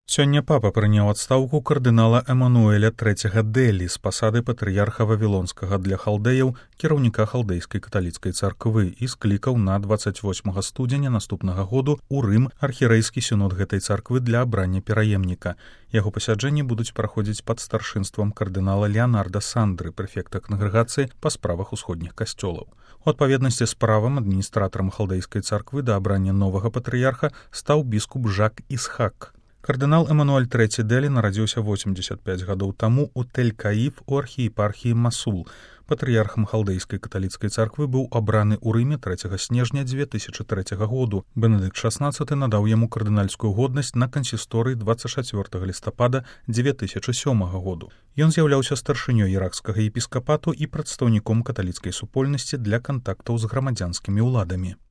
Сёння папа прыняў адстаўку кардынала Эмануэля III Дэлі з пасады патрыярха Вавілонскага для халдэяў, кіраўніка халдэйскай каталіцкай царквы, і склікаў на 28 студзеня наступнага году ў Рым архірэйскі сінод гэтай царквы для абрання пераемніка. Яго пасяджэнні будуць праходзіць пад старшынствам кардынала Леанарда Сандры, прэфекта кангрэгацыі па справах усходніх касцёлаў. У адпаведнасці з правам адміністратарам халдэйскай царквы да абрання новага патрыярха стаў біскуп Жак Ісхак. Кардынал Эмануэль III Дэлі нарадзіўся 85 гадоў таму ў Тель-Каиф у архіепархіі Масул. Патрыярхам халдэйскай каталіцкай царквы быў абраны ў Рыме 3 снежня 2003 году. Бенедыкт XVI надаў яму кардынальскую годнасць на кансісторыі 24 лістапада 2007 году. Ён з'яўляўся старшынёй іракскага епіскапату і прадстаўніком каталіцкай супольнасці для кантактаў з грамадзянскімі ўладамі.